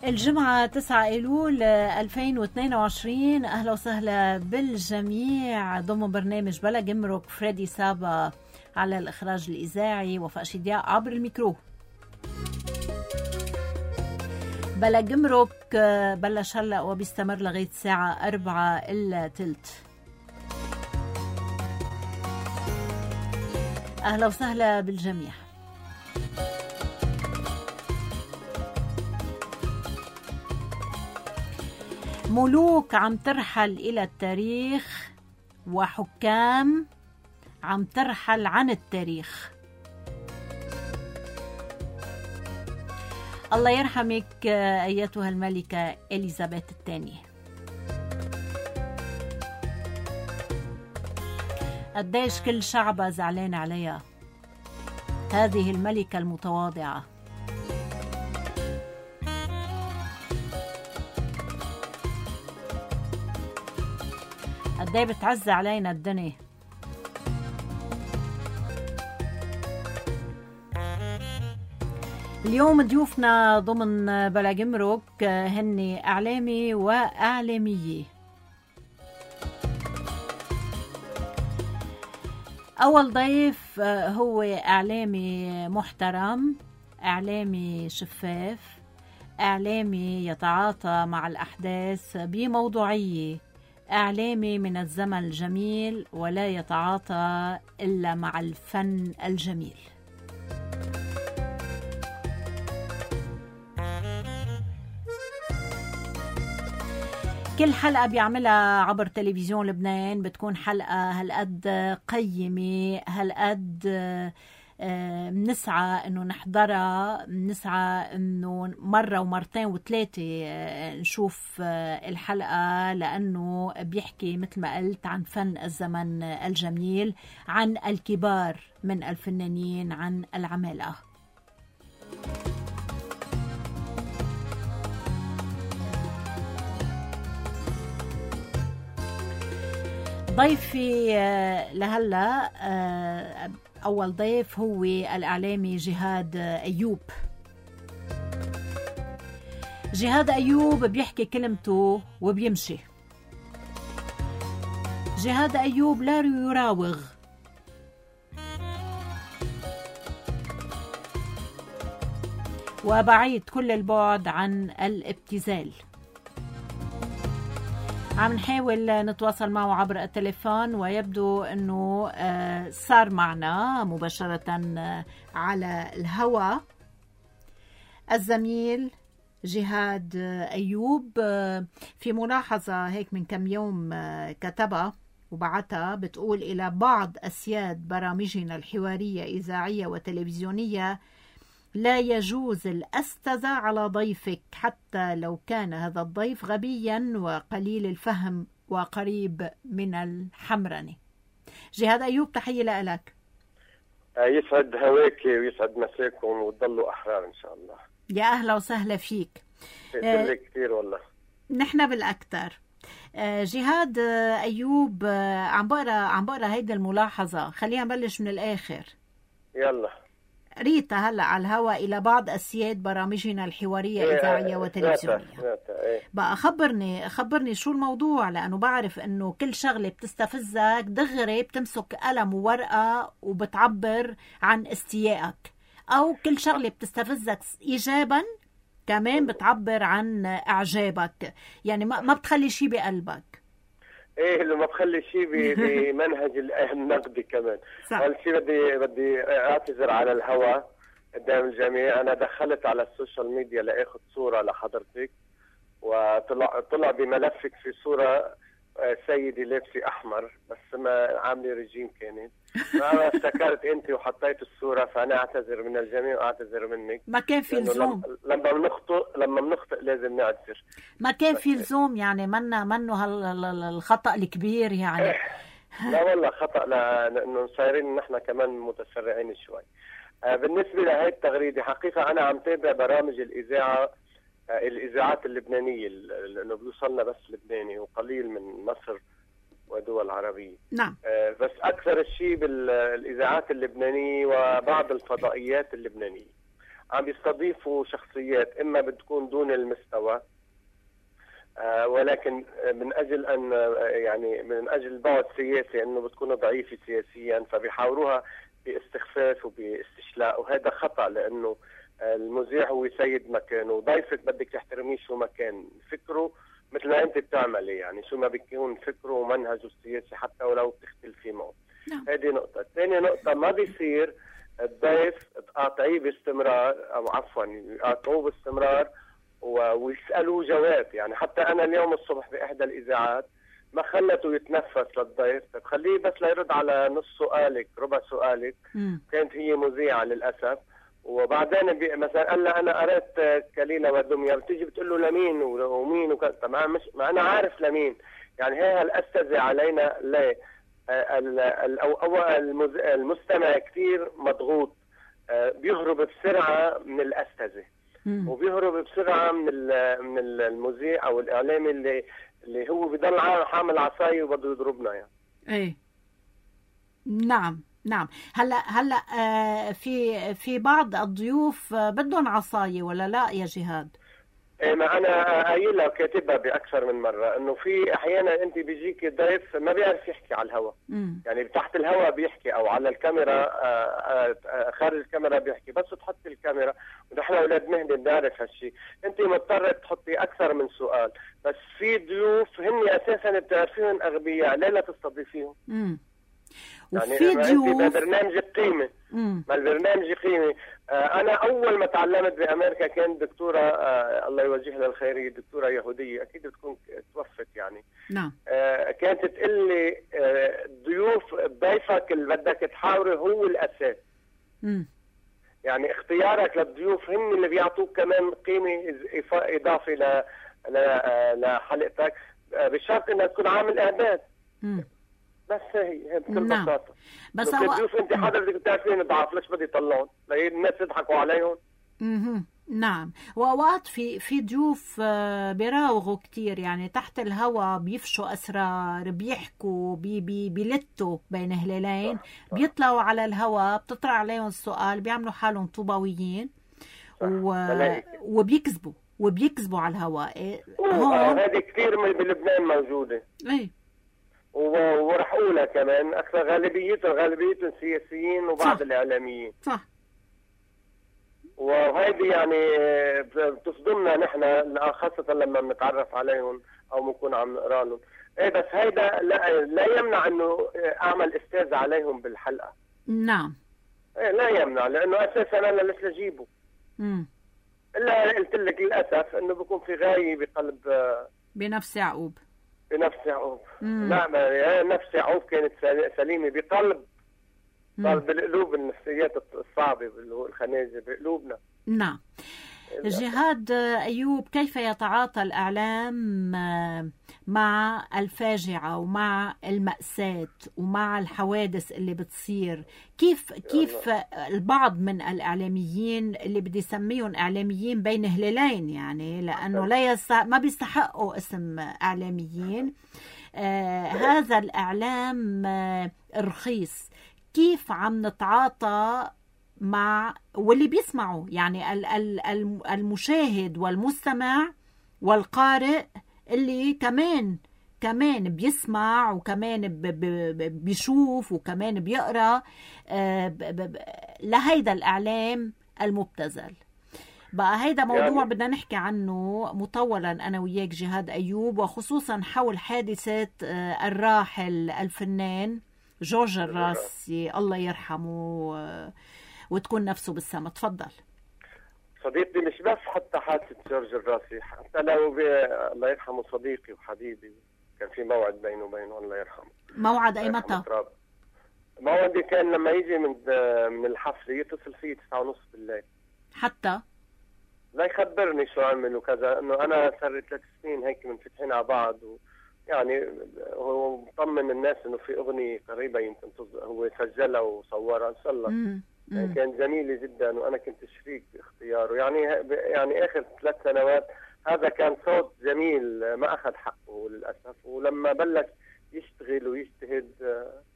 الجمعة 9 أيلول 2022. أهلا وسهلا بالجميع ضمن برنامج بلا جمرك. فريدي سابا على الإخراج الإذاعي، وفاء شدياء عبر الميكرو. بلا جمرك بلش هلأ وبيستمر لغاية الساعة 4:15. أهلا وسهلا بالجميع. ملوك عم ترحل إلى التاريخ، وحكام عم ترحل عن التاريخ. الله يرحمك أيتها الملكة إليزابيث الثانية. قديش كل شعبها زعلان عليها، هذه الملكة المتواضعة. قديه بتعز علينا الدنيا. اليوم ضيوفنا ضمن بلا جمرك هن إعلامي وإعلامية. أول ضيف هو إعلامي محترم، إعلامي شفاف، إعلامي يتعاطى مع الأحداث بموضوعية، إعلامي من الزمن الجميل ولا يتعاطى إلا مع الفن الجميل. كل حلقة بيعملها عبر تلفزيون لبنان بتكون حلقة هالقد قيمة، هالقد بنسعى انه نحضرها، بنسعى انه مرة ومرتين وثلاثة نشوف الحلقة، لانه بيحكي مثل ما قلت عن فن الزمن الجميل، عن الكبار من الفنانين، عن العمالقة. ضيفي لهلا أول ضيف هو الإعلامي جهاد أيوب. جهاد أيوب بيحكي كلمته وبيمشي. جهاد أيوب لا يراوغ، وبعيد كل البعد عن الابتذال. عم نحاول نتواصل معه عبر التليفون، ويبدو أنه صار معنا مباشرة على الهواء الزميل جهاد أيوب. في ملاحظة هيك من كم يوم كتبها وبعتها، بتقول: إلى بعض أسياد برامجنا الحوارية إذاعية وتلفزيونية، لا يجوز الأستاذة على ضيفك حتى لو كان هذا الضيف غبيا وقليل الفهم وقريب من الحمرنة. جهاد أيوب، تحية لك. يسعد هواك ويسعد مساكم وتضلوا أحرار إن شاء الله. يا أهلا وسهلا فيك. كثير والله. نحن بالأكثر. جهاد أيوب، عم بقرأ هيدا الملاحظة، خلينا نبلش من الآخر. يلا. ريتا هلا على الهواء: إلى بعض أسياد برامجنا الحوارية إذاعية وتلفزيونية. بقى خبرني شو الموضوع، لأنه بعرف إنه كل شغلة بتستفزك دغري بتمسك قلم وورقة وبتعبر عن استيائك، أو كل شغلة بتستفزك إيجابا كمان بتعبر عن إعجابك، يعني ما بتخلي شي بقلبك. ايه اللي ما بخلي شيء بمنهج النقدي كمان. اول شيء بدي اعتذر على الهواء قدام الجميع. انا دخلت على السوشيال ميديا لاخذ صوره لحضرتك، وطلع بملفك في صوره سيدي لابسه احمر، بس ما عامله رجيم كانت. فانا افتكرت انت وحطيت الصوره، فانا اعتذر من الجميع واعتذر منك. ما كان في لزوم. لما بنخطئ لازم نعتذر. ما كان في لزوم، يعني منه الخطأ الكبير يعني. لا والله خطأ، لانه صايرين نحن كمان متسرعين شوي. بالنسبه لهي التغريده، حقيقه انا عم تابع برامج الاذاعات اللبنانيه، لانه بيوصلنا بس لبناني وقليل من مصر ودول عربية. نعم. بس أكثر الشيء بالإذاعات اللبنانية وبعض الفضائيات اللبنانية. عم يستضيفوا شخصيات إما بتكون دون المستوى ولكن من أجل أن يعني من أجل البعد السياسي أنه بتكون ضعيفة سياسيا فبيحاوروها باستخفاف وباستشلاء، وهذا خطأ لأنه المذيع هو سيد مكانه وضيفك بدك تحترميه شو ما كان فكره مثل ما أنت بتعملي، يعني شو ما بيكون فكره ومنهجه السياسي حتى ولو بتختلفي معه. هذه نقطة. ثاني نقطة، ما بيصير الضيف تقاطعيه باستمرار أو عفوا يقاطعوه باستمرار ويسألوه جواب. يعني حتى أنا اليوم الصبح بإحدى الإذاعات ما خلته يتنفس للضيف، طيب خليه بس ليرد على نص سؤالك ربع سؤالك. كانت هي مذيعة للأسف، وبعدين مثلا قال لها أنا قرأت كليلة ودمية، بتيجي بتقول له لمين ومين طبعا مش ما أنا عارف لمين. يعني هي الأستاذة علينا ليه المستمع كثير مضغوط، بيهرب بسرعة من الأستاذة وبيهرب بسرعة من المذيع أو الإعلامي اللي هو بيضل حامل عصاية وبده يضربنا يعني. ايه نعم. هلا في بعض الضيوف بدهم عصاية ولا لا يا جهاد؟ ايه، ما انا قايلها وكاتبها باكثر من مره انه في احيانا انت بيجيك ضيف ما بيعرف يحكي على الهواء، يعني تحت الهواء بيحكي او على الكاميرا خارج الكاميرا بيحكي، بس تحط الكاميرا ونحن اولاد مهنه بنعرف هالشيء، انت مضطره تحطي اكثر من سؤال. بس في ضيوف هن اساسا بتعرفيهم اغبياء، ليه لا تستضيفيهم؟ وفي يعني ضيوف برنامج قيمة، ما البرنامج قيمة. أنا أول ما تعلمت بأمريكا كان دكتورة الله يوجهها للخير، دكتورة يهودية أكيد بتكون توفت يعني. نعم. كانت تقول لي ضيفك اللي بدك تحاوره هو الأساس. يعني اختيارك للضيوف هم اللي بيعطوك كمان قيمة إضافة لحلقتك بشرط إنك تكون عامل إعداد. بس هي بكل بساطة. بس الضيوف انت حضرتك بتعرفين ضعاف، ليش بدي يطلعون؟ الناس يضحكوا عليهم. نعم. واوقات في ضيوف بيراوغوا كتير، يعني تحت الهوا بيفشوا اسرار، بيحكوا بيلتوا بين هلالين، بيطلعوا على الهوا بتطرح عليهم السؤال، بيعملوا حالهم طوباويين وبيكذبوا على الهواء. هذه كثير بلبنان موجودة. ايه، ورح اقولها كمان اكثر غالبيتهم سياسيين وبعض الإعلاميين. صح. وهيدي يعني بتصدمنا نحن خاصة لما بنتعرف عليهم او بنكون عم نقرا لهم. ايه بس هيدا لا يمنع انه اعمل استاذ عليهم بالحلقة. نعم. ايه لا يمنع، لانه اساسا انا لسه اجيبه. الا قلت لك للاسف انه بيكون في غاية بقلب بنفس يعقوب. لا، نفس يعقوب كانت سليمة بقلب بالقلوب، النفسيات الصعبة الخنازة بقلوبنا. نعم. جهاد أيوب، كيف يتعاطى الإعلام مع الفاجعة ومع المأساة ومع الحوادث اللي بتصير؟ كيف البعض من الإعلاميين اللي بدي سميهم إعلاميين بين هلالين، يعني لأنه ما بيستحقوا اسم إعلاميين، هذا الإعلام رخيص، كيف عم نتعاطى مع واللي بيسمعوا، يعني المشاهد والمستمع والقارئ اللي كمان بيسمع وكمان بيشوف وكمان بيقرأ لهيدا الإعلام المبتذل؟ بقى هيدا موضوع بدنا نحكي عنه مطولا أنا وياك جهاد أيوب، وخصوصا حول حادثة الراحل الفنان جورج الراسي الله يرحمه وتكون نفسه بالسما. تفضل صديقي. مش بس حتى حادثة جورج الراسي، حتى لو الله يرحمه صديقي وحبيبي، كان في موعد بينه وبينه الله يرحمه. موعد أي متى؟ موعدي كان لما يجي من الحفلة يتصل فيه 9:30 بالليل حتى لا يخبرني شو عمل وكذا، انه انا صار 3 سنين هيك منفتحين على بعض يعني هو مطمن الناس انه في اغنية قريبة يمكن هو سجلها وصورها ان شاء الله. يعني كان جميلة جدا وانا كنت شريك باختياره، يعني اخر 3 سنوات هذا كان صوت جميل ما اخذ حقه للاسف، ولما بلش يشتغل ويجتهد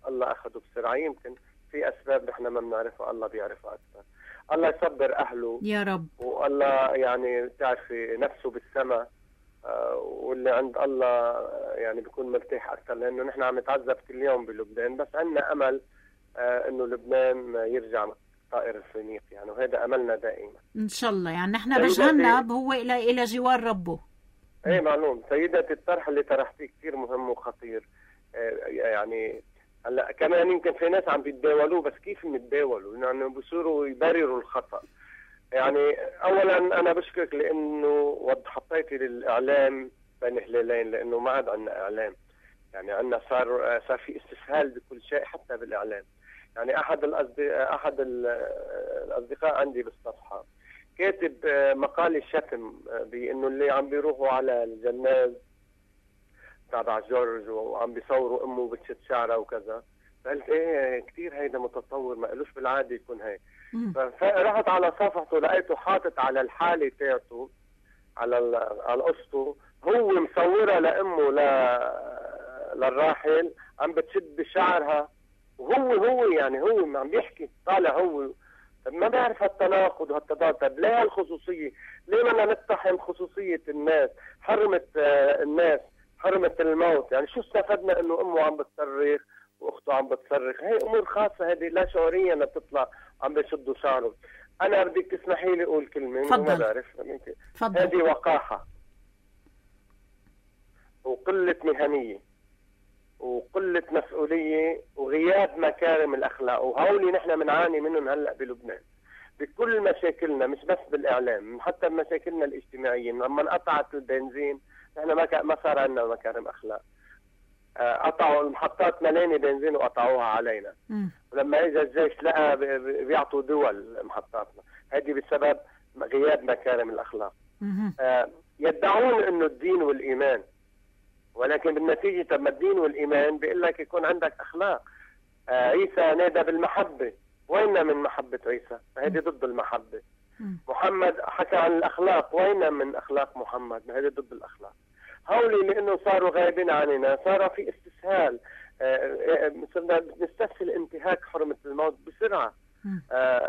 الله اخذه بسرعة. يمكن في اسباب نحن ما بنعرفها، الله بيعرفها اكثر. الله يصبر اهله يا رب. والله يعني بتعرفي نفسه بالسماء، واللي عند الله يعني بيكون مرتاح اكثر، لانه نحن عم نتعذب كل يوم بلبنان، بس عندنا امل انه لبنان يرجع طائر الفينيق يعني، وهذا املنا دائما ان شاء الله. يعني نحن بجهنم هو الى جوار ربه. ايه معلوم. سيدتي الطرح اللي طرحتيه كثير مهم وخطير. يعني هلا كمان يمكن في ناس عم بيتداولوه، بس كيف بيتداولوا؟ يعني بيصيروا يبرروا الخطا. يعني اولا انا بشكرك لانه حطيتي للاعلام بين هلالين، لانه ما عاد عندنا اعلام. يعني عندنا صار في استسهال بكل شيء حتى بالاعلام. يعني احد الاصدقاء عندي بالصفحه كاتب مقال شتم بانه اللي عم بيروحوا على الجناز تبع جورج وعم بيصوروا امه بتشد شعرها وكذا. فقلت ايه كثير هيدا متطور، ما قالوش بالعاده يكون هيك. فرحت على صفحته لقيته حاطط على الحاله تاعته على قصته هو مصورها لامه للراحل عم بتشد بشعرها، وهو يعني هو عم بيحكي طالع هو. طب ما بعرف هالتناقض وهالتضاد. طب ليه هالخصوصيه؟ ليه بدنا نقتحم خصوصيه الناس؟ حرمت الناس، حرمت الموت. يعني شو استفدنا انه امه عم بتصرخ واخته عم بتصرخ؟ هي امور خاصه، هذه لا شعوريا بتطلع عم بيشدوا شعره. انا بدك تسمحي لي اقول كلمه ما بعرف. هذه وقاحه وقله مهنيه وقله مسؤوليه وغياب مكارم الاخلاق، وهولي نحن بنعاني منهم هلا بلبنان بكل مشاكلنا، مش بس بالاعلام، حتى بمشاكلنا الاجتماعيه. لما انقطعت البنزين نحن ما صار عندنا مكارم اخلاق. قطعوا المحطات ملاني بنزين وقطعوها علينا. ولما اجى الجيش لقى بيعطوا دول محطاتنا. هذه بسبب غياب مكارم الاخلاق. يدعون انه الدين والايمان، ولكن بالنتيجه طب ما الدين والايمان بيقول لك يكون عندك اخلاق. عيسى نادى بالمحبه، وين من محبه عيسى؟ فهذه ضد المحبه. محمد حكى عن الاخلاق، وين من اخلاق محمد؟ هذه ضد الاخلاق. هولي لانه صاروا غايبين عننا، صار في استسهال. صرنا نستسهل انتهاك حرمه الموت بسرعه.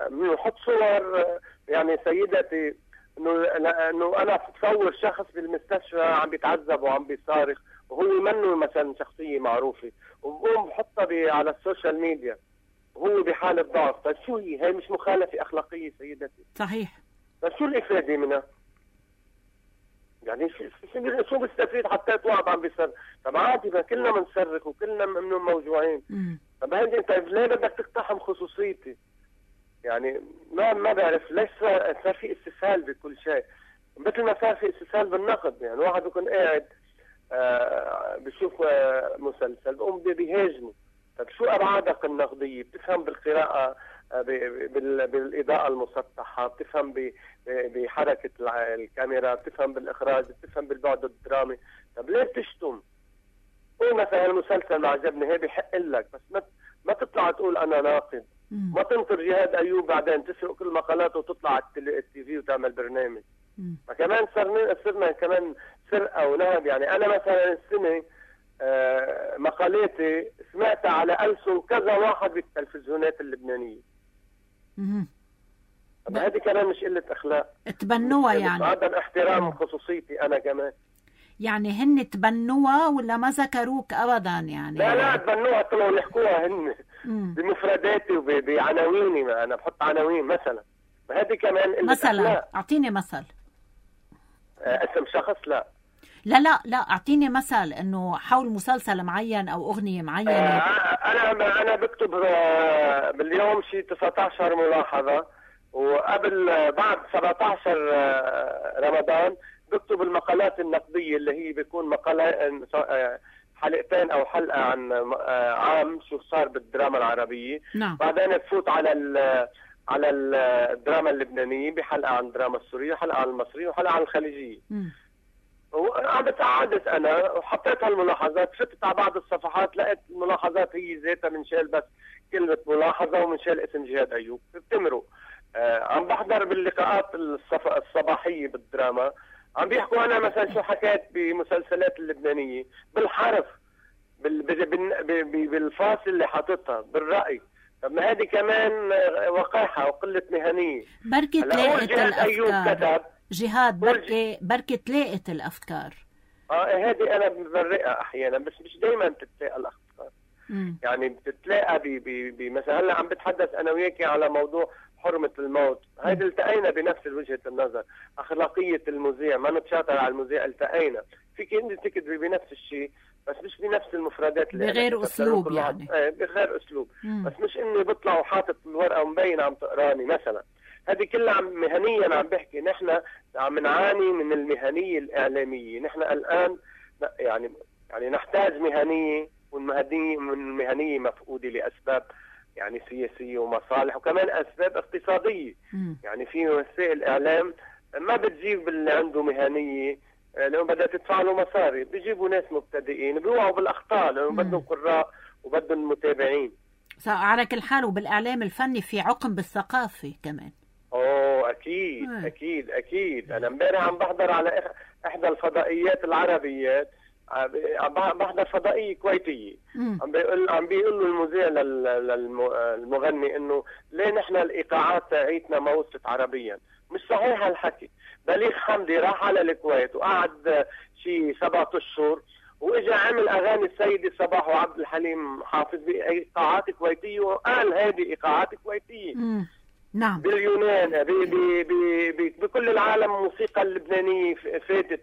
بنحط صور. يعني سيدتي انه انا بتصور شخص بالمستشفى عم بيتعذب وعم بيصارخ وهو منه مثلا شخصيه معروفه، وبقوم بحطها على السوشيال ميديا وهو بحاله ضعف. طيب شو هي مش مخالفه اخلاقيه سيدتي؟ صحيح. طيب شو الافاده منها؟ يعني شو بستفيد؟ حطيت واحد عم بيصرخ. طب عادي، ما كلنا بنصرخ وكلنا منهم موجوعين. طب هيدي طيب ليه بدك تقتحم خصوصيتي؟ يعني ما بعرف ليش صار في استسهال بكل شيء، مثل ما صار في استسهال بالنقد. يعني واحد بيكون قاعد بشوف مسلسل بقوم بيهاجمه. طب شو ابعادك النقديه؟ بتفهم بالقراءه، بالاضاءه المسطحه، بتفهم بحركه الكاميرا، بتفهم بالاخراج، بتفهم بالبعد الدرامي. طب ليه بتشتم؟ قول مثلا المسلسل ما عجبني، هي بحق لك، بس ما تطلع تقول انا ناقد. ما تنطر جهاد ايوب بعدين تسرق كل مقالاته وتطلع على التي في وتعمل برنامج. فكمان صرنا كمان سرقه ونهب. يعني انا مثلا السنه مقالاتي سمعتها على ألسن كذا واحد بالتلفزيونات اللبنانيه. هذه كمان مش قله اخلاق، تبنوها يعني عدم احترام خصوصيتي انا كمان. يعني هن تبنوها ولا ما ذكروك ابدا؟ يعني لا تبنوها، طلعوا يحكوها هن بمفرداتي وبعناويني. ما انا بحط عناوين مثلا. هذه كمان مثلا اعطيني مثل. اسم شخص؟ لا اعطيني مثل انه حول مسلسل معين او اغنيه معينه. انا بكتب باليوم شيء 19 ملاحظه، وقبل بعد 17 رمضان بكتب المقالات النقديه اللي هي بيكون مقالات حلقتين او حلقه عن عام شو صار بالدراما العربيه. نعم. بعدين بفوت على الدراما اللبنانيه بحلقه عن الدراما السوريه، حلقه عن المصريه، وحلقه عن الخليجيه. قعدت انا وحطيت هالملاحظات، فتت على بعض الصفحات لقيت الملاحظات هي ذاتها منشال بس كلمه ملاحظه ومنشال اسم جهاد ايوب. بتمرق. عم بحضر باللقاءات الصباحيه بالدراما، عم بيحكوا انا مثلا شو حكيت بمسلسلات اللبنانيه بالحرف، بالفاصل اللي حاططها، بالرأي. طب ما هذه كمان وقاحة وقلة مهنية. بركة تلاقت الأفكار جهاد، بركة تلاقت الأفكار. هذه أنا ببرئها أحيانا، بس مش دايما بتتلاقى الأفكار. يعني بتتلاقى مثلا هلا عم بتحدث أنا وياكي على موضوع حرمة الموت، هيدا التقينا بنفس وجهة النظر. أخلاقية المذيع، ما نتشاطر على المذيع، التقينا فيك انت تكتبي بنفس الشيء بس مش بنفس المفردات اللي بغير اسلوب يعني. بغير اسلوب. بس مش اني بطلع وحاطط الورقه ومبين عم تقراني مثلا. هذه كلها مهنيا عم بحكي. نحن عم نعاني من المهنيه الاعلاميه. نحن الان يعني نحتاج مهنيه، والمهنيه مفقوده لاسباب يعني سياسيه ومصالح، وكمان اسباب اقتصاديه. يعني في وسائل اعلام ما بتجيب اللي عنده مهنيه لو بدها تدفع له مصاري، بيجيبوا ناس مبتدئين بيوقعوا بالاخطاء لانه بدهم قراء وبدهم متابعين. على كل حال وبالاعلام الفني في عقم بالثقافه كمان. اكيد اكيد اكيد. انا امبارح عم بحضر على احدى الفضائيات العربيات، عم بحضر فضائيه كويتيه، عم بيقول له المذيع للمغني انه ليه نحن الايقاعات تاعيتنا ما وصلت عربيا. مش صحيح هالحكي. بليغ حمدي راح على الكويت وقعد شي 7 أشهر واجا عمل اغاني السيدة صباح وعبد الحليم حافظ بايقاعات كويتيه، وقال هذه ايقاعات كويتيه. نعم. باليونان بكل العالم الموسيقى اللبنانيه فاتت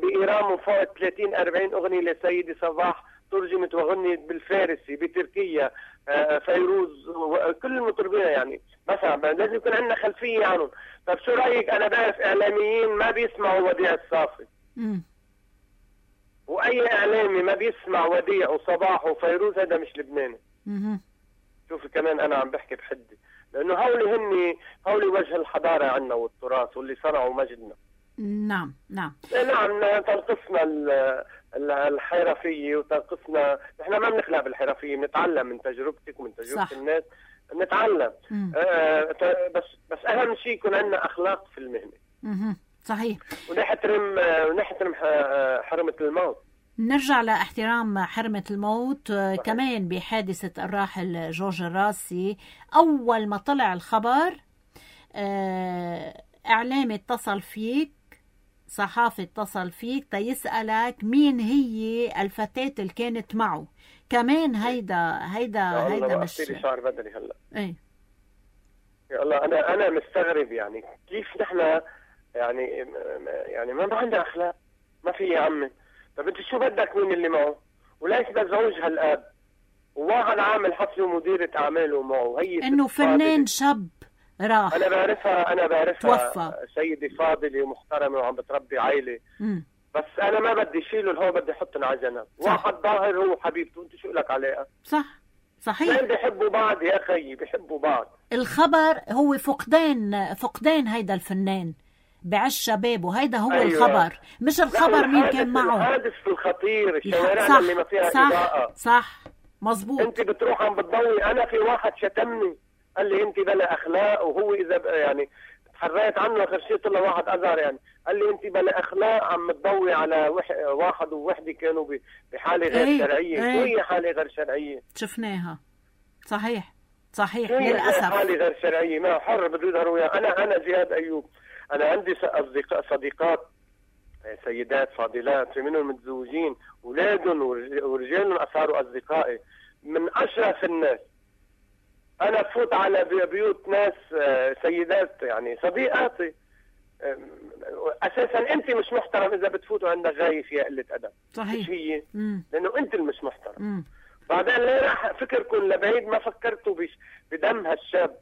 بايران فوق 30-40 اغنيه لسيدة صباح ترجمت وغنيت بالفارسي. بتركيا فيروز كل المطربين يعني مثلا لازم يكون عندنا خلفيه عنهم. طب شو رايك؟ انا بعرف اعلاميين ما بيسمعوا وديع الصافي، واي اعلامي ما بيسمع وديع وصباح وفيروز هذا مش لبناني. شوفي كمان انا عم بحكي بحدي، لانه هولي وجه الحضاره عندنا والتراث واللي صنعوا مجدنا. نعم نعم تنقصنا الحرفيه وتنقصنا. نحن ما بنخلق بالحرفيه، بنتعلم من تجربتك ومن تجربه صح. الناس نتعلم. بس اهم شيء يكون عندنا اخلاق في المهنه. صحيح. ونحترم حرمه الموت. نرجع لاحترام حرمة الموت. كمان بحادثة الراحل جورج الراسي، أول ما طلع الخبر إعلامي اتصل فيك، صحافي اتصل فيك تيسألك مين هي الفتاة اللي كانت معه. كمان هيدا مش شعر بدري هلا. ايه يا الله، انا مستغرب يعني كيف نحن يعني ما عندنا اخلاق. ما في يا عمي. طب انت شو بدك مين اللي معه؟ وليش بزوجها الاب وواحد عامل حفله ومديرة اعماله معه. هي انه فنان شاب راح. انا بعرفها توفى. سيدة فاضلة ومحترمة وعم بتربي عائلة. بس انا ما بدي شيله الهو، بدي احطن على جنب. واحد ظاهر هو حبيبته، انت شو لك عليها؟ صح صحيح. بيحبوا بعض يا اخي، بيحبوا بعض. الخبر هو فقدان هيدا الفنان بعش شبابه. هيدا هو. أيوة. الخبر مش الخبر مين كان معه. الحادث الخطير، الشوارع اللي ما فيها إضاءة. صح مزبوط. انت بتروح عم بتضوي. انا في واحد شتمني قال لي انت بلا اخلاق، وهو اذا يعني تحريت عنه اخر شيء طلع واحد ازهر يعني قال لي انت بلا اخلاق عم تضوي على واحد ووحده كانوا بحاله غير شرعيه. شو هي حاله غير شرعيه؟ شفناها. صحيح للاسف. حاله غير شرعيه ما حر بده يظهروا وياه. انا جهاد ايوب، انا عندي صديقات سيدات فاضلات، في منهم متزوجين، اولادهم ورجالهم صاروا اصدقائي من اشرف الناس. انا بفوت على بيوت ناس سيدات يعني صديقاتي. اساسا انت مش محترم اذا بتفوتوا عندك غايه فيها قله ادب. صحيح. مش هي؟ لانه انت اللي مش محترم. بعدين ليه راح فكركم لبعيد؟ ما فكرتوا بدم هالشاب،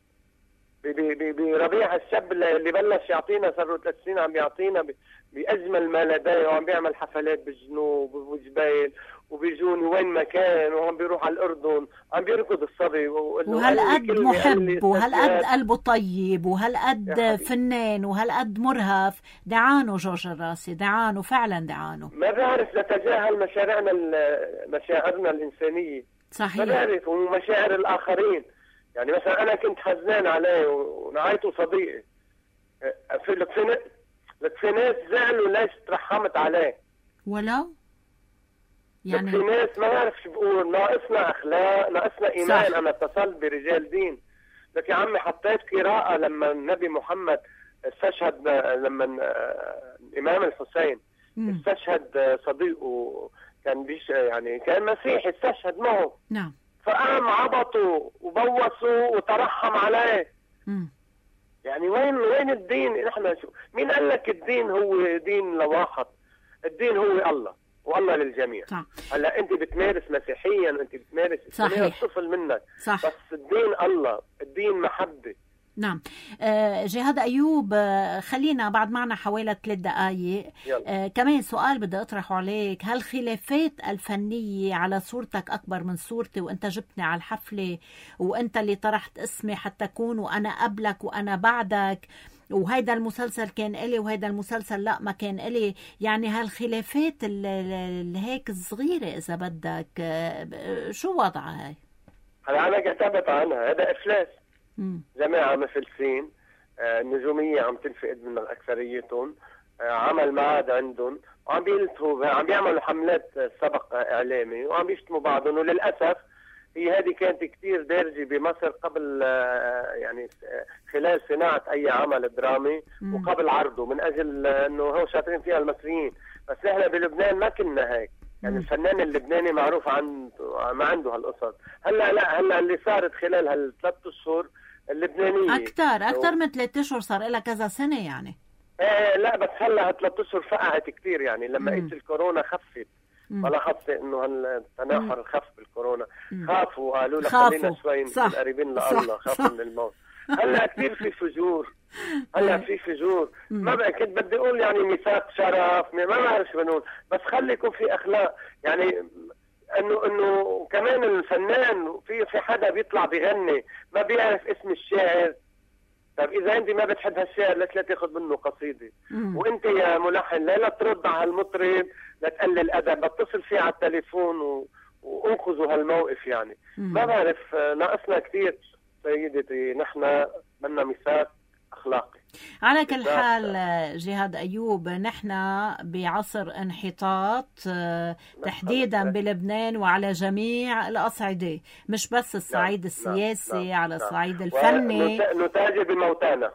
بربيع الشاب اللي بلش يعطينا، صار له 3 سنين عم يعطينا باجمل ما لديه، وعم بيعمل حفلات بالجنوب وجبال وبيجوني وين ما كان، وعم بيروح على الاردن عم بيركض الصبي. وهالقد محب وهالقد قلبه طيب وهالقد فنان وهالقد مرهف. دعانه جورج الراسي، دعانه فعلا دعانه. ما بعرف نتجاهل مشاعرنا الانسانيه. صحيح. ما بعرف ومشاعر الاخرين. يعني مثلا انا كنت حزنان عليه ونعيته صديقي. لك في ناس زعلوا ليش ترحمت عليه. ولو يعني في ناس ما بعرف شو بقول، ناقصنا اخلاق، ناقصنا ايمان. صح. انا اتصلت برجال دين، لك يا عمي حطيت قراءة لما النبي محمد استشهد، لما الامام الحسين استشهد صديقه كان يعني كان مسيحي استشهد معه. نعم. فقام عبطوا وبوسوا وترحم عليه. يعني وين الدين؟ نحن مين قال لك الدين هو دين لواحد؟ الدين هو الله، والله للجميع. صح. هلا انت بتمارس مسيحيا، انت بتمارس الطفل منك. صح. بس الدين الله، الدين محبه. نعم. جهاد أيوب، خلينا بعد معنا حوالي 3 دقائق. كمان سؤال بدي أطرحه عليك، هل خلافات الفنية على صورتك أكبر من صورتي وأنت جبتني على الحفلة وأنت اللي طرحت اسمي حتى أكون وأنا قبلك وأنا بعدك، وهيدا المسلسل كان إلي وهيدا المسلسل لا ما كان إلي، يعني هالخلافات هيك صغيرة إذا بدك، شو وضعها هاي؟ هلا أنا كتبت عنها، هذا إفلاس. جماعة مفلسين، النجومية عم تنفقد من أكثريتهم، عمل معاد عندهم وعم بيلتهوا، عم بيعملوا حملات سبق إعلامي وعم بيشتموا بعضهم. وللأسف هي هذه كانت كتير دارجة بمصر قبل، يعني خلال صناعة أي عمل درامي وقبل عرضه، من أجل أنه هو شاطرين فيها المصريين. بس نحن بلبنان ما كنا هيك، يعني الفنان اللبناني معروف ما عنده هالقصص. هلا اللي صارت خلال هال3 أشهر اللبنانية أكثر من 3 أشهر، صار لها كذا سنة يعني. لا بس هلا 3 أشهر فقعت كتير، يعني لما قلت الكورونا خفت، فلاحظت انه التناحر خف بالكورونا. خافوا وقالوا لك خلينا شوي قريبين لله، خافوا من الموت. هلا كثير في فجور، في فجور. ما بقى كنت بدي اقول يعني ميثاق شرف، ما بعرف شو بنقول، بس خلي يكون في اخلاق. يعني انه كمان الفنان في حدا بيطلع بيغني ما بيعرف اسم الشاعر. طيب اذا انت ما بتحب هالشاعر ليش لا تاخذ منه قصيده؟ وانت يا ملحن لا ترد على المطرب، لا تقلل ادب، اتصل فيه على التليفون وانقذوا هالموقف. يعني ما بعرف، ناقصنا كثير سيدتي، نحن بدنا ميثاق اخلاقي. على كل حال جهاد أيوب، نحن بعصر انحطاط تحديدا بلبنان وعلى جميع الأصعدة، مش بس الصعيد السياسي، على الصعيد الفني. نتاجر بموتانا.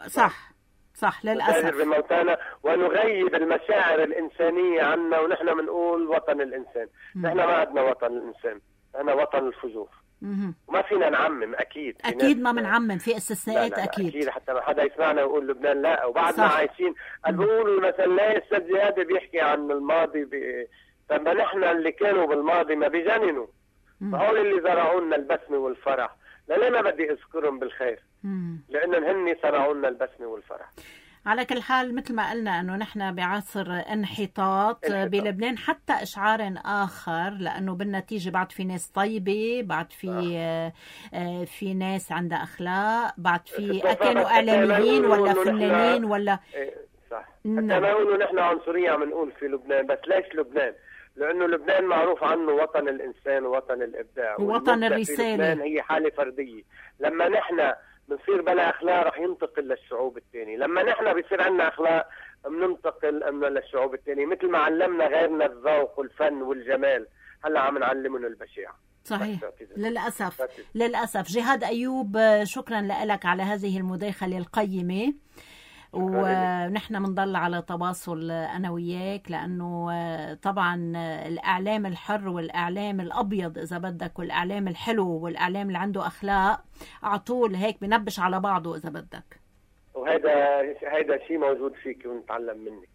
صح للأسف. نتاجر بموتانا ونغيب المشاعر الإنسانية عنا، ونحن بنقول وطن الإنسان. نحن ما عندنا وطن الإنسان، نحن وطن الفجور. وما فينا نعمم. اكيد ما بنعمم، في استثناءات. لا اكيد حتى ما حدا يسمعنا يقول لبنان لا، وبعدنا عايشين. بيقولوا مثلا لا السيد زياد بيحكي عن الماضي طب نحن اللي كانوا بالماضي ما بيجننوا، فهول اللي زرعوا لنا البسمه والفرح. ليه ما بدي اذكرهم بالخير؟ لانهم هن زرعوا لنا البسمه والفرح. على كل حال مثل ما قلنا أنه نحن بعصر انحطاط بلبنان، حتى إشعار آخر، لأنه بالنتيجة بعد في ناس طيبة، بعد في ناس عندها أخلاق، بعد في كانوا إعلاميين ولا فنانين ولا صح. حتى ما يقولوا نحن عنصرية عم نقول في لبنان. بس ليش لبنان؟ لأنه لبنان معروف عنه وطن الإنسان ووطن الإبداع ووطن الرسالة. لبنان هي حالة فردية. لما نحن بنصير بلا اخلاق رح ينتقل للشعوب الثانيه. لما نحن بيصير عندنا اخلاق بننتقل للشعوب الثانيه، مثل ما علمنا غيرنا الذوق والفن والجمال، هلا عم نعلمهم البشاعه. صحيح. للاسف. جهاد أيوب، شكرا لك على هذه المداخله القيمه، ونحن بنضل على تواصل أنا وياك، لأنه طبعا الإعلام الحر والإعلام الأبيض إذا بدك، والإعلام الحلو والإعلام اللي عنده أخلاق على طول هيك بنبش على بعضه إذا بدك. وهذا شيء موجود فيك ونتعلم منك.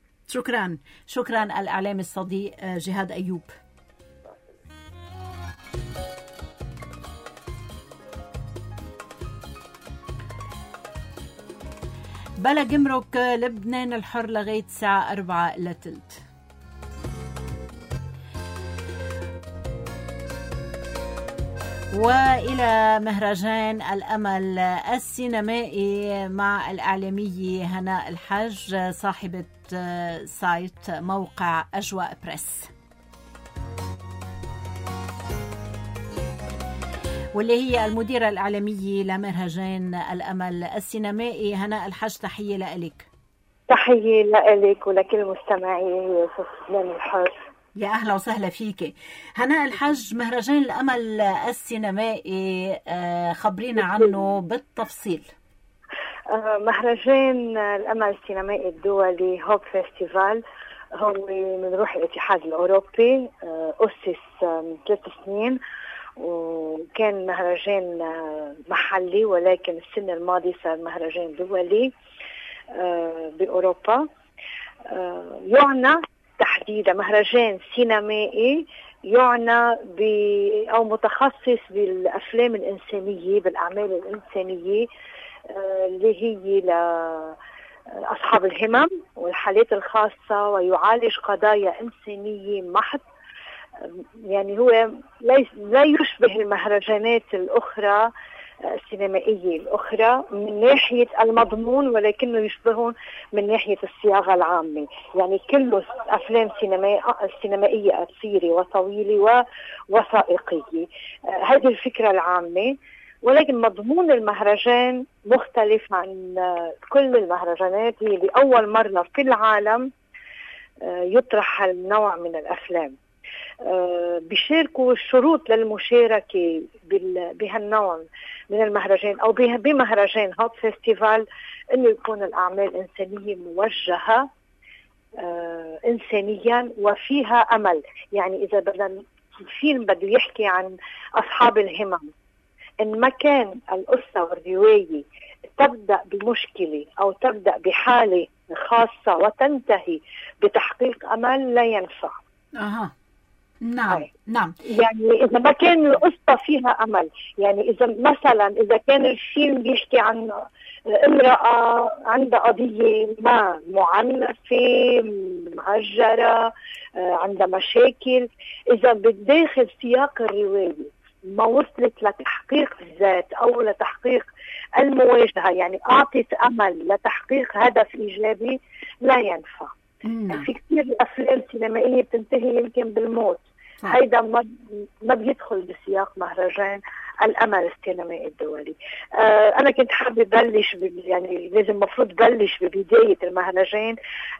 شكرا الإعلام الصديق جهاد أيوب. بلا جمرك لبنان الحر لغاية الساعة 4:15. وإلى مهرجان الأمل السينمائي مع الإعلامية هناء الحج، صاحبة سايت موقع أجواء بريس، واللي هي المديرة الإعلامية لمهرجان الأمل السينمائي. هناء الحج، تحية لك. تحية لك ولكل مستمعي لبنان الحر. يا أهلا وسهلا فيك هناء الحج. مهرجان الأمل السينمائي خبرينا عنه بالتفصيل. مهرجان الأمل السينمائي الدولي هوب فيستيفال هو من روح الاتحاد الأوروبي، أسس من 3 سنين، وكان مهرجان محلي، ولكن السنة الماضية صار مهرجان دولي بأوروبا. يعنى تحديدا مهرجان سينمائي يعنى أو متخصص بالأفلام الإنسانية، بالأعمال الإنسانية اللي هي لأصحاب الهمم والحالات الخاصة، ويعالج قضايا إنسانية محض. يعني هو لا يشبه المهرجانات الأخرى السينمائية الأخرى من ناحية المضمون، ولكنه يشبهون من ناحية الصياغة العامة. يعني كله أفلام سينمائية قصيرة وطويلة ووثائقية، هذه الفكرة العامة. ولكن مضمون المهرجان مختلف عن كل المهرجانات، هي لأول مرة في العالم يطرح هالنوع من الأفلام. بيشاركوا الشروط للمشاركة بهالنوع من المهرجان أو بمهرجان هوب فيستيفال إنه يكون الأعمال إنسانية موجهة إنسانيا وفيها أمل. يعني إذا بدنا الفيلم بده يحكي عن أصحاب الهمم، إن ما كان القصة والرواية تبدأ بمشكلة أو تبدأ بحالة خاصة وتنتهي بتحقيق أمل لا ينفع. نعم نعم. يعني إذا ما كان القصة فيها أمل، يعني إذا كان الفيلم بيحكي عن امرأة عندها قضية ما معنفة معجرة عندها مشاكل، إذا بداخل سياق الرواية ما وصلت لتحقيق الذات أو لتحقيق المواجهة، يعني أعطت أمل لتحقيق هدف إيجابي، لا ينفع. في كثير أفلام سينمائية بتنتهي يمكن بالموت. هيدا ما بيدخل بسياق مهرجان الأمل السينمائي الدولي. أنا كنت حابة بلش يعني لازم مفروض بلش ببداية المهرجان.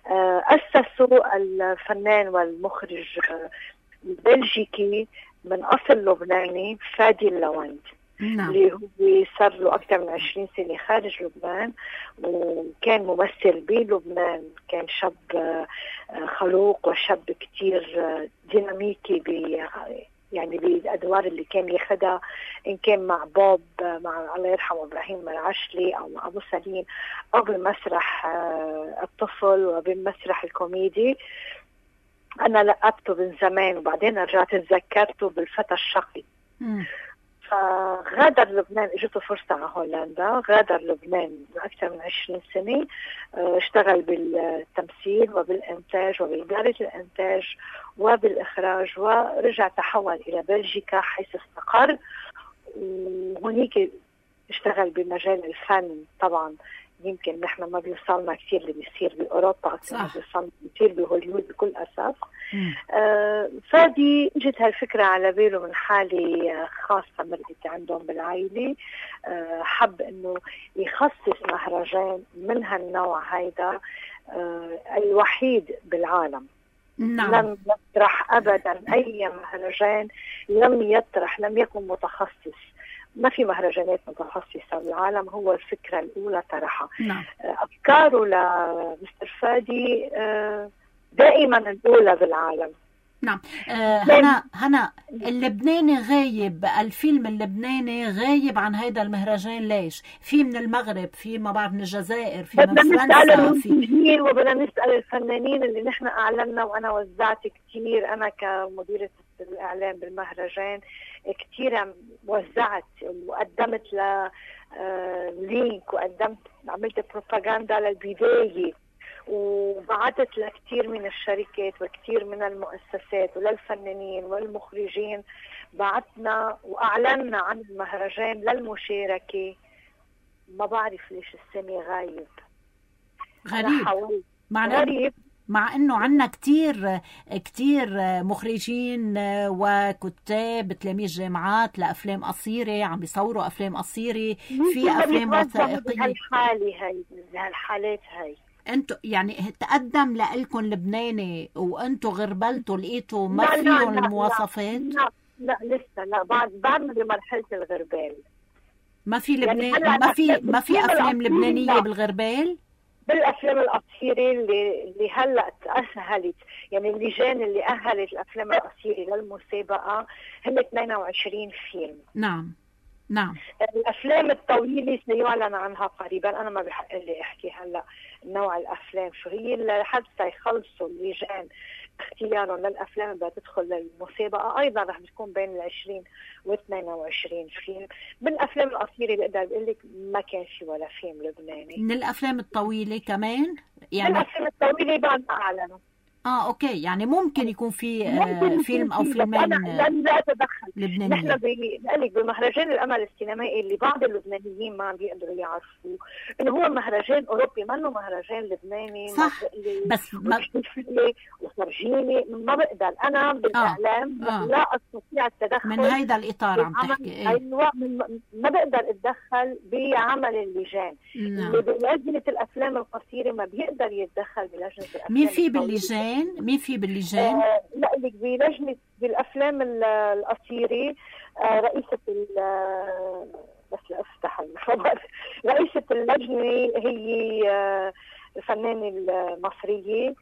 أسسوا الفنان والمخرج البلجيكي من أصل لبناني فادي اللوند، اللي هو صار له أكثر من 20 سنة خارج لبنان، وكان ممثل بلبنان. كان شاب خلوق وشاب كتير ديناميكي يعني بالأدوار اللي كان ياخدها، إن كان مع بوب، مع الله يرحمه إبراهيم العشلي، أو مع أبو سليم، أو بمسرح الطفل وبالمسرح الكوميدي. أنا لقبته من زمان وبعدين رجعت تذكرته بالفتى الشقي. فغادر لبنان، اجته فرصة على هولندا، غادر لبنان أكثر من 20 سنة، اشتغل بالتمثيل وبالإنتاج وبإدارة الإنتاج وبالإخراج، ورجع تحول إلى بلجيكا حيث استقر، وهنيك اشتغل بمجال الفن. طبعا يمكن نحن ما بيوصلنا كثير اللي بيصير بأوروبا أكثر ما بيوصلنا كثير بهوليوود بكل أسف. فادي اجت هالفكرة على باله من حالة خاصة مرقت عندهم بالعائلة، حب انه يخصص مهرجان من هالنوع هيدا الوحيد بالعالم. لم يطرح ابدا اي مهرجان، لم يكن متخصص. ما في مهرجانات متخصصة بالعالم، هو الفكرة الأولى طرحها. أفكاره لمستر فادي دائما الأولى بالعالم. نعم. هنا اللبناني غايب، الفيلم اللبناني غايب عن هذا المهرجان. ليش؟ في من المغرب، في ما بعرف من الجزائر، في من فرنسا، وبدنا نسأل الفنانين اللي نحن أعلنا، وأنا وزعت كتير. أنا كمديرة الإعلام بالمهرجان كتير وزعت وقدمت لينك، عملت بروباغندا للبداية، وبعثت لكثير من الشركات وكثير من المؤسسات وللفنانين والمخرجين. بعثنا وأعلنا عن المهرجان للمشاركة. ما بعرف ليش السنة غايب. غريب مع انه عنا كتير مخرجين وكتاب تلاميذ جامعات لافلام قصيره عم بيصوروا افلام قصيره، في افلام وثائقيه. هالحالات هاي انتوا يعني تقدم لإلكم لبناني وانتوا غربلتوا لقيتوا ما فيهم المواصفات؟ لا لسه، لا بعدنا بمرحلة الغربال. ما في لبنان يعني ما في افلام لبنانية بالغربال؟ بالافلام القصيره اللي هلا تاهلت، يعني اللجان اللي اهلت الافلام القصيره للمسابقه هم 22 فيلم. نعم. الافلام الطويله سيعلن عنها قريبا، انا ما بحق لي احكي هلا نوع الافلام شو هي، لحتى يخلصوا اللجان اختيارهم للافلام اللي تدخل للمسابقه. ايضا رح بتكون بين 20 و 22 فيلم. من الافلام القصيره بقدر بقول لك ما كان في ولا فيلم لبناني. من الافلام الطويله كمان يعني؟ من الافلام الطويله بعد ما اعلنوا. اوكي، يعني ممكن يكون في فيلم او فيلمين لا اتدخل لبنانيين. نحن بقول لك بمهرجان الامل السينمائي اللي بعض اللبنانيين ما عم بيقدروا يعرفوه انه هو مهرجان اوروبي، ما انه مهرجان لبناني. صح، بس وفرجيني ما بقدر انا بالاعلام لا استطيع التدخل من هيدا الاطار عم تحكي. ايوه، ما بقدر اتدخل بعمل اللجان. اللي بلجنه الافلام القصيره ما بيقدر يتدخل بلجنه الافلام. مين في باللجان؟ لا اللي بلجنه بالافلام القصيره رئيسه بس لافتح الخبر، رئيسه اللجنه هي الفنانه المصريه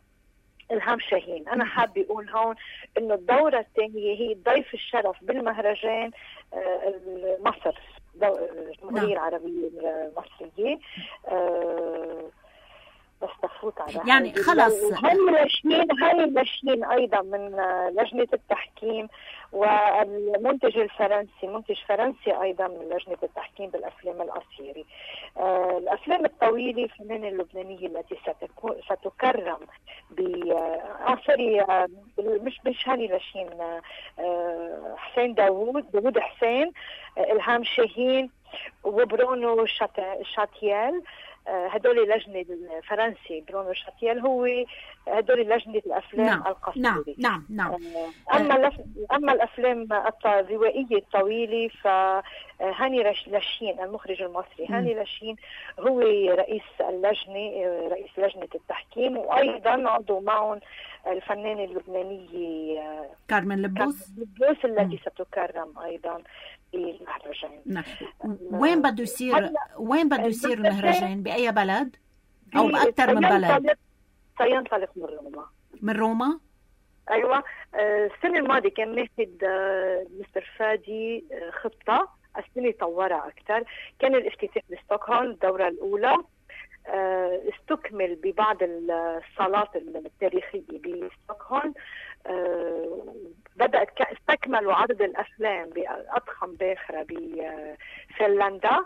إلهام شاهين. أنا حابة أقول هون إنه الدورة الثانية هي ضيف الشرف بالمهرجان مصر، الجمهورية العربية المصرية. بس تفوت على يعني خلص هاي الناشئين أيضا من لجنة التحكيم، والمنتج الفرنسي، منتج فرنسي أيضا من لجنة التحكيم بالأفلام القصيرة. الأفلام الطويلة الفنانة اللبنانية التي ستكرم مش هاني لاشين، حسين داوود حسين، إلهام شاهين وبرونو شاتيال. هدول لجنة الفرنسي برونو شاتيال هو هدول لجنة الأفلام القصيرة. نعم. أما الأفلام الروائية الطويلة فهاني لاشين المخرج المصري. هاني لاشين هو رئيس لجنة التحكيم، وأيضا عضو معهم الفنانة اللبنانية كارمن لبوس التي ستكرم أيضا بالمهرجان. وين بده يصير المهرجان؟ بأي بلد أو بأكثر من بلد؟ سينطلق من روما. أيوة. السنة الماضية كان ماخذ مستر فادي خطة، السنة طورها أكثر. كان الافتتاح بستوكهولم الدورة الأولى، استكمل ببعض الصالات التاريخية بستوكهولم، استكملوا عرض الأفلام بأضخم باخرة بفنلندا،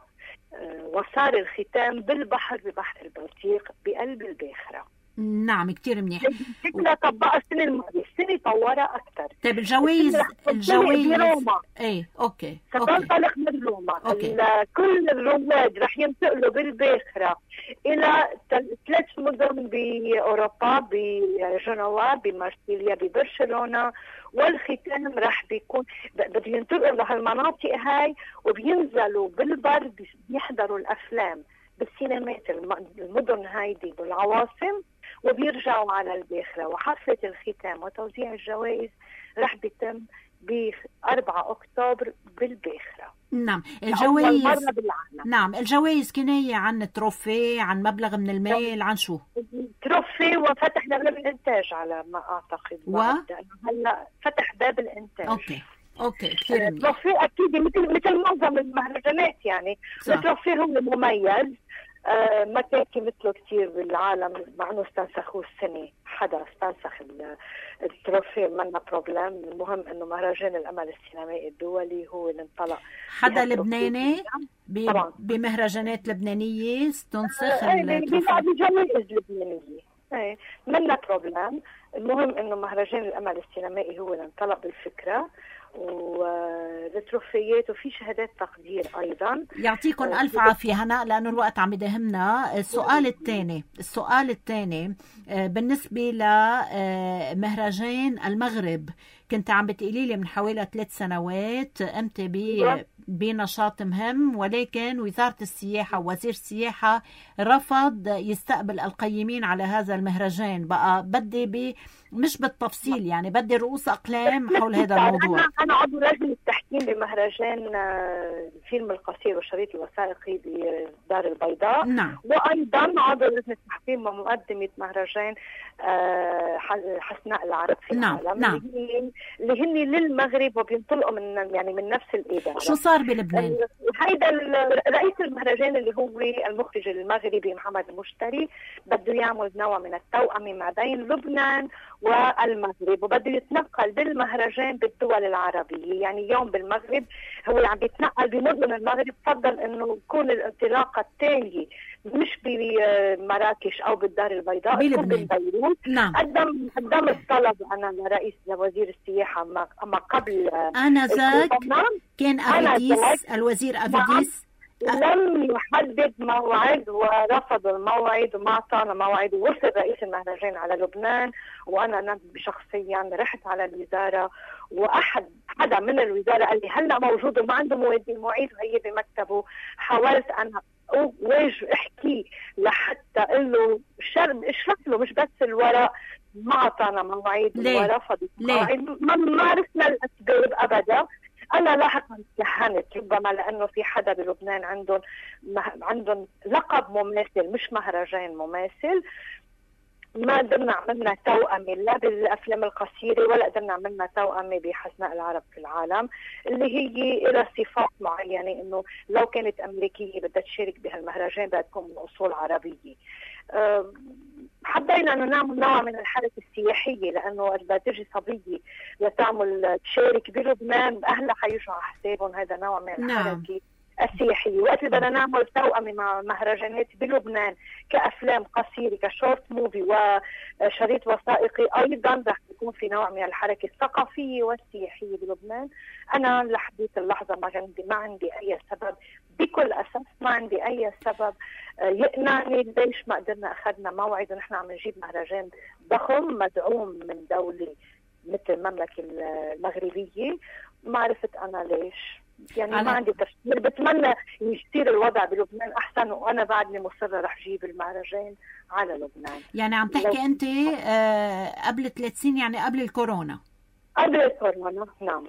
وصار الختام بالبحر ببحر البلطيق بقلب الباخرة. نعم، كتير منيح. فكرة طبقها السنة الماضية، السنة طورها أكثر. طيب الجوائز بروما. أوكي. ستنطلق من روما. كل الرواد رح ينتقلوا بالباخرة إلى 3 مدن بأوروبا، بجنوا، بمارسيليا، ببرشلونة، والختام رح بيكون بده ينتقلوا لهالمناطق هاي وبينزلوا بالبر بيحضروا الأفلام بالسينمات المدن هايدي بالعواصم، وبيرجعوا على الباخرة. وحفلة الختام وتوزيع الجوائز رح بيتم ب4 أكتوبر بالباخرة. نعم، الجوائز كناية عن تروفي، عن مبلغ من المال، عن شو؟ تروفي وفتح باب الإنتاج على ما أعتقد. هلا فتح باب الإنتاج. اوكي كثير منيح. تروفي اكيد مثل معظم المهرجانات، يعني التروفي هو مميز، ما كان مثله كثير بالعالم، مع انه استنسخوه السنه، حدا استنسخ التروفي منا بروبلم. المهم انه مهرجان الامل السينمائي الدولي هو اللي انطلق. حدا لبناني بمهرجانات لبنانيه استنسخ التروفي بجوائز لبنانيه، منا بروبلم. المهم انه مهرجان الامل السينمائي هو اللي انطلق بالفكره، والتروفيات وفي شهادات تقدير أيضا. يعطيكم ألف عافية هنا، لأنه الوقت عم يدهمنا. السؤال الثاني بالنسبة لمهرجان المغرب، كنت عم بتقولي لي من حوالي 3 سنوات قمت بنشاط مهم، ولكن وزارة السياحة ووزير السياحة رفض يستقبل القيمين على هذا المهرجان. بقى بدي مش بالتفصيل، يعني بدي رؤوس أقلام حول هذا الموضوع. أنا عضو لجنة التحكيم بمهرجان الفيلم القصير والشريط الوثائقي بدار البيضاء. نعم. وأيضا عضو لجنة التحكيم ومقدمة مهرجان حسناء العرب في العالم. نعم. اللي هن للمغرب وبينطلقوا من نفس الإدارة. شو صار بلبنان؟ هيدا رئيس المهرجان اللي هو المخرج المغربي محمد المشتري بده يعمل نوع من التوأمة ما بين لبنان والمغرب، وبده يتنقل بالمهرجان بالدول العربية. يعني يوم بالمغرب هو عم بيتنقل بمدن المغرب، فضل انه تكون الانطلاقة التالية مش بمراكش او بالدار البيضاء، تكون ببيروت. نعم. قدم الطلب انا لوزير السياحة اما قبل آنذاك كان أفيديس، الوزير أفيديس لم يحدد موعد ورفض الموعد وما اعطانا موعد. ووصل رئيس المهرجان على لبنان، وانا شخصيا رحت على الوزاره، حدا من الوزاره قال لي هلا موجود وما عنده مواعيد وهي بمكتبه. حاولت انا احكي لحتى اقول له اشرح له مش بس الورق، ما اعطانا موعد ورفض الموعد. ما عرفنا الاسباب ابدا. أنا لاحقا تلهنت، ربما لأنه في حدا بلبنان عندهم لقب مماثل مش مهرجان مماثل. ما قدرنا عملنا توأمة لا بالأفلام القصيرة ولا قدرنا عملنا توأمة بحسناء العرب في العالم، اللي هي إلى صفات معينة، إنه لو كانت أمريكية بدها تشارك بهالمهرجان بدها تكون من أصول عربية. حبينا انه نعمل نوع من الحركه السياحيه، لانه بدها تجي صبيه لتعمل تشارك بلبنان، اهلها حيجوا على حسابهم. هذا نوع من الحركه السياحيه. وقت اللي بدنا نعمل توأمة مع مهرجانات بلبنان كافلام قصيره كشورت موفي وشريط وثائقي، ايضا رح يكون في نوع من الحركه الثقافيه والسياحيه بلبنان. انا لحديت اللحظه ما عندي اي سبب، بكل اساس ما عندي اي سبب يقنعني ليش ما قدرنا اخذنا موعد ونحن عم نجيب مهرجان ضخم مدعوم من دوله مثل المملكه المغربيه. ما عرفت انا ليش، يعني ما عندي تفسير. بتمنى يصير الوضع بلبنان احسن، وانا بعدني مصره رح اجيب المهرجان على لبنان. يعني عم تحكي انت قبل 3 سنين، يعني قبل الكورونا؟ قبل الكورونا نعم.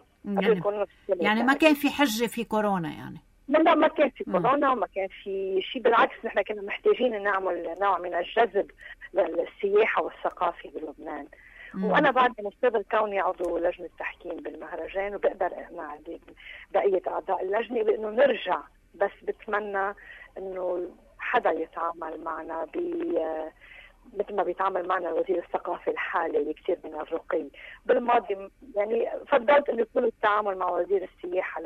يعني ما كان في حجه في كورونا يعني؟ لا ما كان في كورونا وما كان في شيء، بالعكس نحن كنا محتاجين نعمل نوع من الجذب للسياحه والثقافه بلبنان. وانا بعد مصر كوني عضو لجنه تحكيم بالمهرجان، وبقدر اقنع بقيه اعضاء اللجنه بانه نرجع، بس بتمنى انه حدا يتعامل معنا مثل ما بيتعامل معنا وزير الثقافه الحالي اللي كثير من الرقي. بالماضي يعني فضلت انه يكون التعامل مع وزير السياحه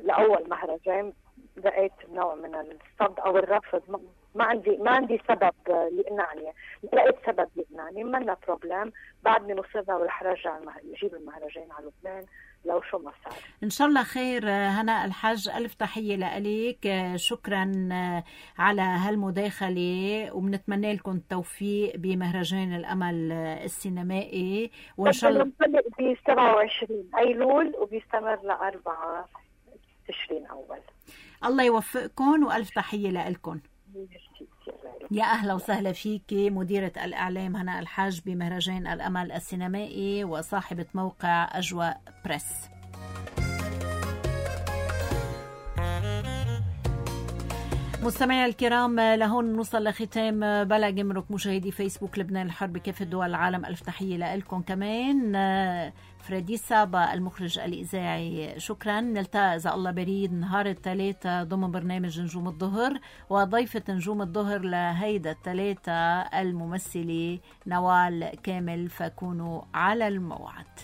لأول مهرجان، لقيت نوع من الصد أو الرفض. ما عندي سبب يقنعني، لقيت سبب يقنعني، منا بروبلم. بعدني مصرة ورح رجع نجيب المهرجان على لبنان لو شو ما صار. إن شاء الله خير. هناء الحج، ألف تحية لك، شكرا على هالمداخلة، وبنتمنى لكم التوفيق بمهرجان الأمل السينمائي، وإن شاء الله ب 27 أيلول وبيستمر ل4 تشرين أول. الله يوفقكم، وألف تحية لكم. يا أهلا وسهلا فيك مديرة الإعلام هناء الحج بمهرجان الأمل السينمائي وصاحبة موقع أجواء بريس. مستمعي الكرام، لهون نوصل لختام بلا جمرك مشاهدي فيسبوك لبنان الحر بكافة دول العالم. ألف تحية لكم كمان. فريدي سابا المخرج الإذاعي، شكرا. نلتقى إذا الله بريد نهار الثلاثاء ضمن برنامج نجوم الظهر، وضيفة نجوم الظهر لهيدا الثلاثاء الممثلة نوال كامل، فكونوا على الموعد.